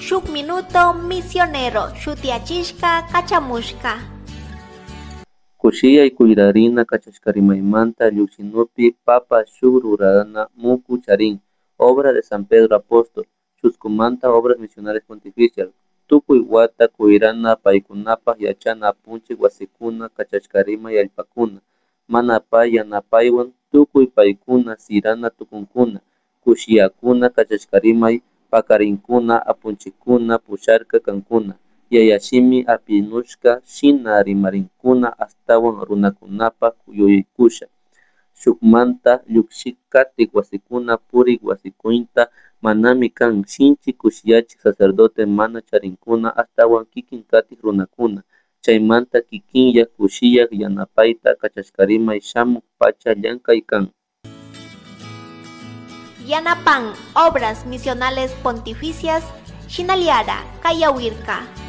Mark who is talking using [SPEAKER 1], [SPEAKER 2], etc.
[SPEAKER 1] Shuk Minuto Misionero shutiyachishka kachamushka.
[SPEAKER 2] Kushiyay kuyrarina kachashkarimaymanta llukshinupi papa shuk rurana muku charin Obra de San Pedro Apóstol, chuskumanta Obras Misionales Pontificias, tukuy wata kuyrana paykunapak yachana apunchik wasikuna kachashkarimay allpakuna, mana pay yanapaywan tukuy paykuna sirana tukunkuna, kushiyakuna kachashkarimay pakarinkuna apunchikkuna pusharka kankuna, yayashimi apinushka shina rimarinkuna ashtawan runakunapak yuyaykusha, shukmanta llukshik katik wasikuna purik wasikuynta manami kan shinchi kushiyachik sacerdote mana charinkuna ashtawan kikin katik runakuna, chaymanta kikinyak kushiyak yanapayta kachashkarimay shamuk pacha llankay kan.
[SPEAKER 1] Yanapan Obras Misionales Pontificias, Shinaliara, Kayawirka.